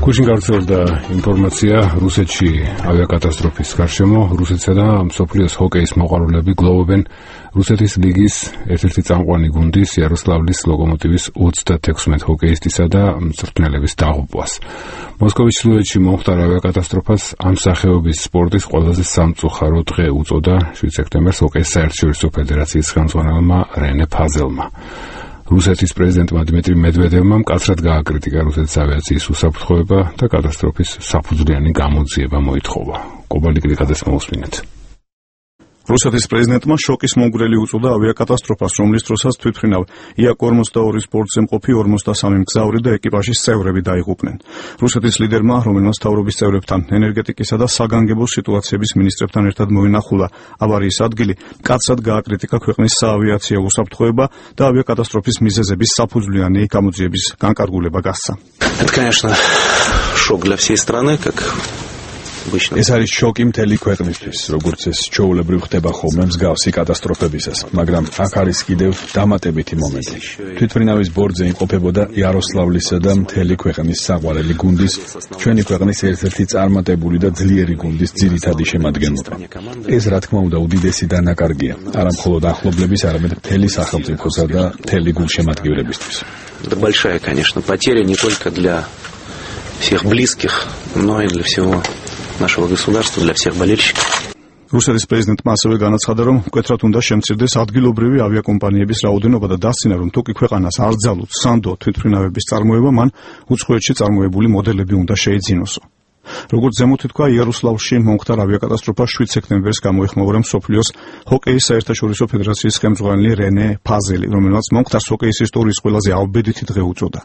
გუშინ გავრცელდა ინფორმაცია რუსეთში ავიაკატასტროფის გარშემო. რუსეთსა და მსოფლიოს ჰოკეის მოყვარულები გლოვობენ რუსეთის ლიგის ერთ-ერთი წამყვანი გუნდის იაროსლავლის ლოკომოტივის 36 ჰოკეისტისა და მწვრთნელების დაღუპვას. მოსკოვის ჩრდილოეთში მომხდარ ავიაკატასტროფას ამ სახეობის სპორტის ყველაზე სამწუხარო დღე უწოდა 7 სექტემბერს ჰოკეის საერთაშორისო ფედერაციის ხელმძღვანელმა რენე ფაზელმა. რუსეთის პრეზიდენტმა დიმიტრი მედვედევმა მკაცრად გააკრიტიკა რუსეთის ავიაციის უსაფრთხოება და კატასტროფის საფუძვლიანი გამოძიება მოითხოვა. კობალი გრიგაძეს მოусმინეთ. რუსეთის პრეზიდენტმა შოკის მომგვრელი უწოდა ავიაკატასტროფას, რომლის დროსაც თვითმფრინავ Ia-42 სპორტზე მყოფი 53 მგზავრი და ეკიპაჟის წევრები დაიღუპნენ. რუსეთის ლიდერმა, რომელმაც მთავრობის წევრებთან, ენერგეტიკისა და საგანგებო სიტუაციების მინისტრებთან ერთად მოინახულა ავარიის ადგილი, მკაცრად გააკრიტიკა ქვეყნის საავიაციო უსაფრთხოება და ავიაკატასტროფის მიზეზების საფუძვლიანი გამოძიების განკარგულება გასცა. Это, конечно, шок для всей страны, как ეს არის შოკი მთელი ქვეყნისთვის, როგორც ეს ჩვეულებრივ ხდება ხოლმე მსგავსი კატასტროფებისას, მაგრამ აქ არის კიდევ დამატებითი მომენტი. თვითმფრინავის ბორტზე იმყოფებოდა იაროსლავლისა და მთელი ქვეყნის საყვარელი გუნდის, ჩვენი ქვეყნის ერთ-ერთი წარმატებული და ძლიერი გუნდის ძირითადი შემადგენლობა. ეს რა თქმა უნდა უდიდესი დანაკარგია, არა მხოლოდ ახლობლების, არამედ მთელი სახელმწიფოსა და მთელი გულშემატკივრებისთვის. Это большая, конечно, потеря не только для всех близких, но и для всего нашего государства, для всех болельщиков. რუსეთის პრეზიდენტმა ასევე განაცხადა, რომ მკვეთრად უნდა შემცირდეს ადგილობრივი ავიაკომპანიების რაოდენობა და დასცინა, რომ თუკი ქვეყანას არ ძალუთ სანდო თვითმფრინავების წარმოება, მან უცხოეთში წარმოებული მოდელები უნდა შეიძინოსო. როგორც ზემოთ თქვა, იაროსლავლში მომხდარ ავიაკატასტროფა 7 სექტემბერს გამოეხმაურა მსოფლიოს ჰოკეის საერთაშორისო ფედერაციის ხელმძღვანელი რენე ფაზელი, რომელმაც მომხდარ ჰოკეის ისტორიის ყველაზე ავბედითი დღე უწოდა.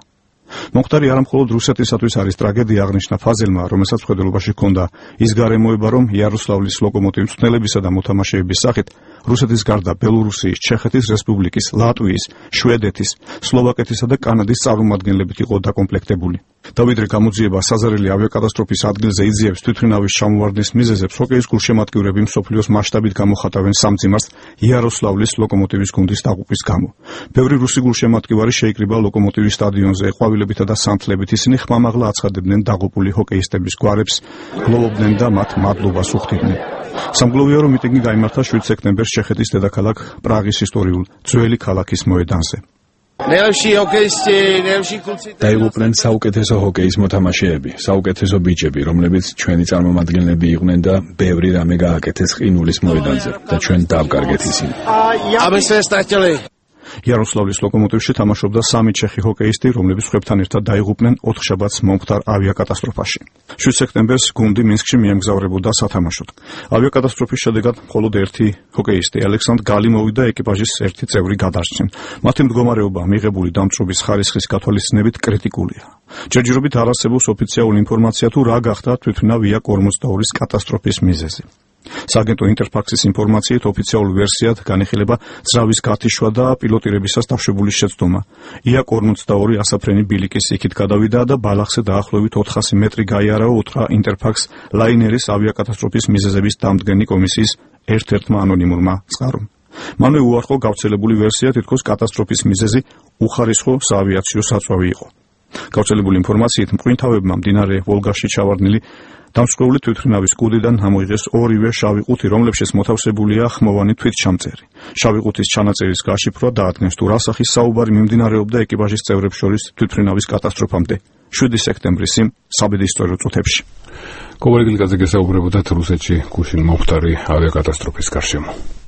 მომხდარი არა მხოლოდ რუსეთისათვის არის ტრაგედია, აღნიშნა ფაზელმა, რომელსაც მხედველობაში ჰქონდა ის გარემოება, რომ იაროსლავლის ლოკომოტივის მწვრთნელებისა და მოთამაშეების სახით რუსეთის გარდა ბელორუსიის, ჩეხეთის რესპუბლიკის, ლატვიის, შვედეთის, სლოვაკეთისა და კანადის წარმომადგენლებით იყო დაკომპლექტებული. დავიდრე გამოძიება საზარელი ავიაკატასტროფის ადგილზე იძიებს თვითმფრინავის ჩამოვარდნის მიზეზებს ჰოკეის გულშემატკივრები მსოფლიოს მასშტაბით გამოხატავენ სამძიმარს იაროსლავლის ლოკომოტივის გუნდის დაღუპვის გამო. ბევრი რუსი გულშემატკივარი შეიკრიბა ლოკომოტივის სტადიონზე, ყვავილებითა და სამთლებით ისინი ხმამაღლა აცხადებდნენ დაღუპული ჰოკეისტების გვარებს, გლოვობდნენ და მათ მადლობას უხდიდნენ. სამგლოვიარო მიტინგი გაიმართა 7 სექტემბერს ჩეხეთის დედაქალაქ პრაღის ისტორიულ ძველი ქალაქის მოედანზე. დაიღუპნენ საუკეთესო ჰოკეის მოთამაშეები, საუკეთესო ბიჭები, რომლებიც ჩვენი წარმომადგენლები იყვნენ და ბევრი რამე გააკეთეს ყინულის მოედანზე და ჩვენ დავკარგეთ ისინი. იაროსლავლის ლოკომოტივში თამაშობდა 3 ჩეხი ჰოკეისტი, რომლებიც ხვებთან ერთად დაიღუპნენ 4 შაბათს მომხდარ ავიაკატასტროფაში. 7 სექტემბერს გუნდი მინსკში მიემგზავრებოდა სათამაშოდ. ავიაკატასტროფის შედეგად მხოლოდ ერთი ჰოკეისტი, ალექსანდრ გალიმოვი და ეკიპაჟის ერთი წევრი გადარჩნენ. მათი მდგომარეობა მიღებული დამწვრობის ხარისხის გათვალისწინებით კრიტიკულია. ჯერჯერობით არ არსებობს ოფიციალური ინფორმაცია თუ რა გახდა თვითმფრინავ Ia-42 კატასტროფის მიზეზი. სააგენტო ინტერფაქსის ინფორმაციით ოფიციალური ვერსიად განიხილება ძრავის გათიშვა და პილოტირებისას დაშვებული შეცდომა. Ia-42 ასაფრენი ბილიკის იქით გადავიდა და ბალახზე დაახლოებით 400 მეტრი გაიარაო, უთხრა ინტერფაქს ლაინერის ავიაკატასტროფის მიზეზების დამდგენი კომისიის ერთ-ერთმა ანონიმურმა წყარომ. მანვე უარყო გავრცელებული ვერსია, თითქოს კატასტროფის მიზეზი უხარისხო საავიაციო საწვავი იყო. გავრცელებული ინფორმაციით მყინთავებმა მდინარე ვოლგაში ჩავარდნილი დამსწრეული თვითმფრინავის კუდიდან ამოიღეს ორივე შავი ყუთი, რომლებშიც მოთავსებულია ხმოვანი თვითჩამწერი. შავი ყუთის ჩანაწერის გაშიფრვა დაადგენს თუ რა სახის საუბარი მიმდინარეობდა ეკიპაჟის წევრებს შორის თვითმფრინავის კატასტროფამდე 7 სექტემბრის იმ საბედისწერო წუთებში. კობალი გილკაძე გესაუბრებოდათ რუსეთში გუშინ მომხდარი ავიაკატასტროფის გარშემო.